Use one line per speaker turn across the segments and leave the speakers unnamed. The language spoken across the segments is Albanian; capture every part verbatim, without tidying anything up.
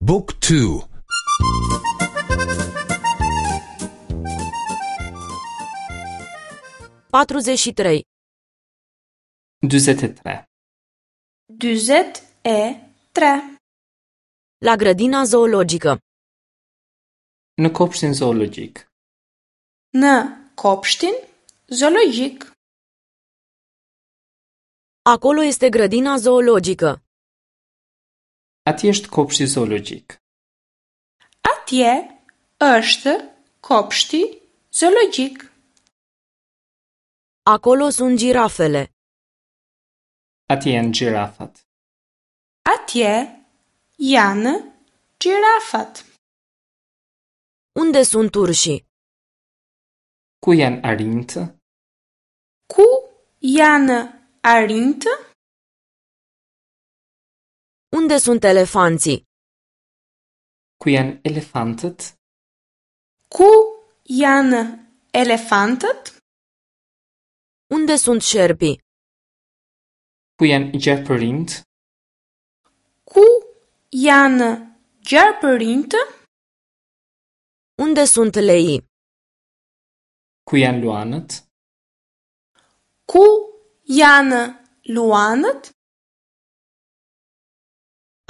Book two.
Patruzeci și trei.
Dyzet e tre.
Dyzet e tre.
La grădina zoologică.
Në kopshtin zoologjik.
Në kopshtin zoologjik.
Acolo este grădina zoologică.
Atje është kopshti zoologjik.
Atje është kopshti zoologjik.
Acolo sunt girafele.
Atje janë gjirafat.
Atje janë gjirafat.
Unde sunt urșii?
Ku janë arinjtë?
Ku janë arinjtë?
Unde sunt elefanții?
Ku janë elefantët?
Ku janë elefantët?
Unde sunt șerpii?
Ku janë gjarpërinjtë?
Ku janë gjarpërinjtë?
Unde sunt leii?
Ku janë luanët?
Ku janë luanët?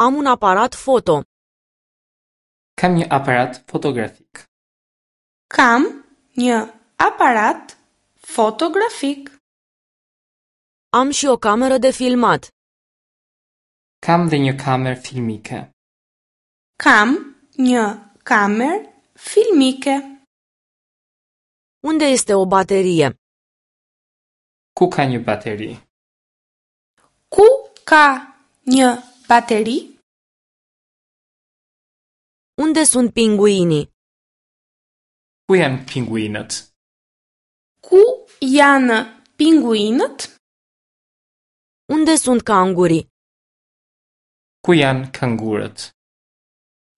Am un aparat foto.
Kam një aparat fotografik.
Kam një aparat fotografik.
Am și o cameră de filmat.
Kam dhe një kamerë filmike.
Kam një kamerë filmike.
Unde este o baterie?
Ku ka një bateri?
Ku ka një bateri?
Unde sunt pinguinii?
Ku janë pinguinët?
Ku janë pinguinët?
Unde sunt cangurii?
Ku janë kangurët?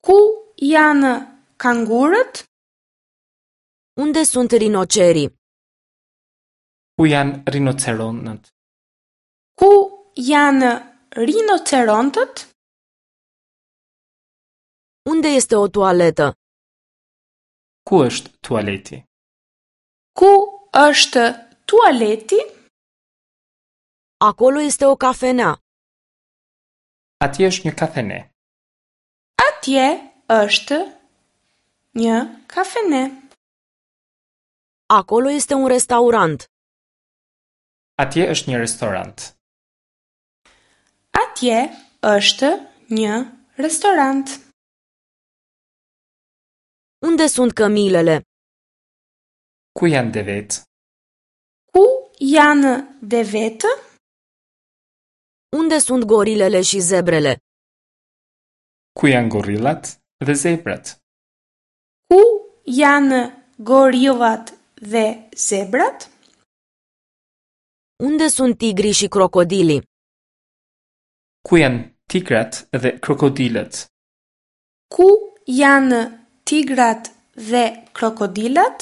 Ku janë kangurët?
Unde sunt rinocerii?
Ku janë rinoceronët?
Ku janë rinocerontët?
Unde este o toaletă?
Ku është tualeti?
Ku është tualeti?
Acolo este o cafenea.
Atje është një kafene.
Atje është një kafene.
Acolo este un restaurant.
Atje është një restorant.
Atje është një restorant.
Unde sunt cămilele?
Ku janë devet?
Ku janë devetë?
Unde sunt gorilele și zebrele?
Ku janë gorillat dhe zebrat?
Ku janë gorillat dhe zebrat?
Unde sunt tigrii și crocodilii?
Ku janë tigrat dhe krokodilët?
Ku janë tigrat dhe krokodilat?